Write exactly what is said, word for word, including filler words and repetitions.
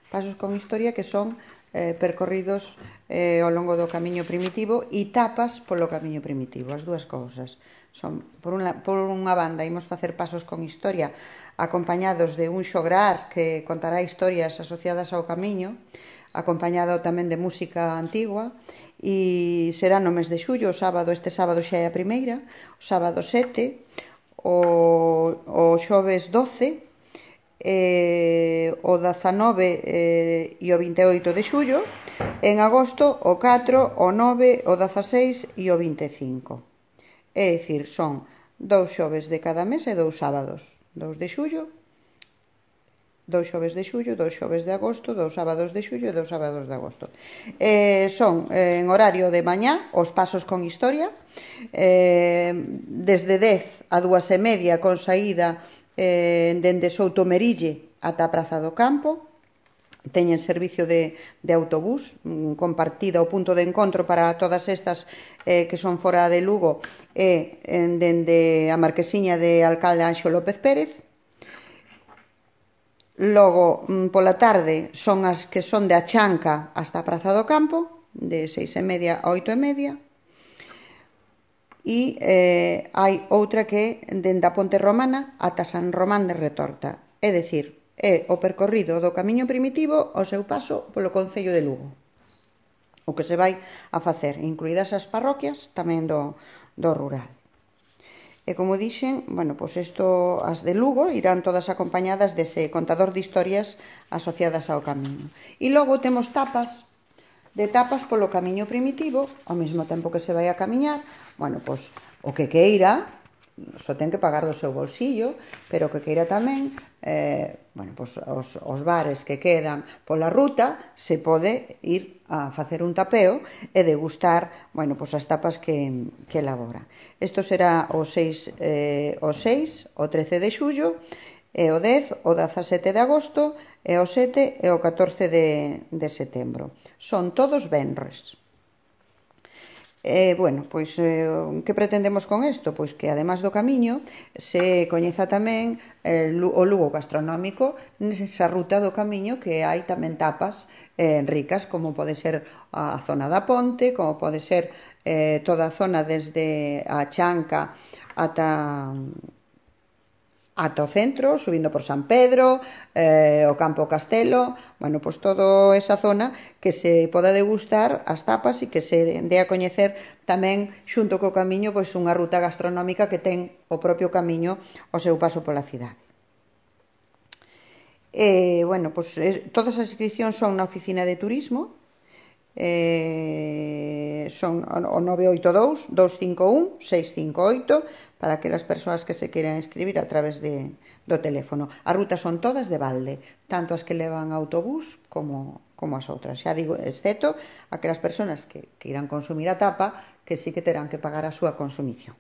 Pasos con historia que son eh, percorridos eh, ao longo do camiño primitivo e tapas polo camiño primitivo, as dúas cousas. Son, por, unha, por unha banda, imos facer pasos con historia acompañados de un xograr que contará historias asociadas ao camiño, acompañado tamén de música antigua, e será no mes de xullo, o sábado, este sábado xa é a primeira, o sábado sete, o, o xoves doce, eh, o dezanove eh, e o vinte e oito de xullo, en agosto o catro, o nove, o dezaseis e o vinte e cinco. É dicir, son dous xoves de cada mes e dous sábados, dous de xullo, dous xoves de xullo, dous xoves de agosto, dous sábados de xullo e dous sábados de agosto. Eh, son eh, en horario de mañá os pasos con historia, eh, desde dez a dúas e media con saída eh, dende Soutomerille ata a Praza do Campo. Teñen servicio de, de autobús compartida, o punto de encontro para todas estas eh, que son fora de Lugo e eh, dende a Marquesiña de Alcalde Anxo López Pérez. Logo, pola tarde, son as que son de Achanca hasta a Praza do Campo, de seis e media a oito e media. E eh, hai outra que dende a Ponte Romana ata San Román de Retorta. É dicir, é o percorrido do camiño primitivo ao seu paso polo concello de Lugo. O que se vai a facer, incluídas as parroquias tamén do, do rural. E como dixen, bueno, pois isto, as de Lugo irán todas acompañadas dese contador de historias asociadas ao camiño. E logo temos tapas, de tapas polo camiño primitivo, ao mesmo tempo que se vai a camiñar. Bueno, pois o que queira, só ten que pagar do seu bolsillo, pero o que queira tamén, eh, bueno, pois os, os bares que quedan pola ruta, se pode ir a facer un tapeo e degustar, bueno, pois as tapas que, que elabora. Isto será o seis, eh, o seis, o trece de xullo, e o dez, o dezasete de agosto, e o sete e o catorce de, de setembro. Son todos venres. Eh, bueno, pois, eh, que pretendemos con isto? Pois que, además do camiño, se coñeza tamén eh, o Lugo gastronómico nesa ruta do camiño, que hai tamén tapas eh, ricas, como pode ser a zona da Ponte, como pode ser eh, toda a zona desde a Chanca ata... ata o centro, subindo por San Pedro, eh, o Campo Castelo, bueno, pois toda esa zona que se poda degustar as tapas e que se dé a coñecer tamén xunto co camiño pois unha ruta gastronómica que ten o propio camiño ao seu paso pola cidade. E, bueno, pois todas as inscripcións son na oficina de turismo, Eh, son o nove oito dous, dous cinco un, seis cinco oito para aquelas persoas que se queiran inscribir a través de, do teléfono. As rutas son todas de balde, tanto as que levan autobús como, como as outras. Xa digo, excepto aquelas persoas que, que irán consumir a tapa, que sí que terán que pagar a súa consumición.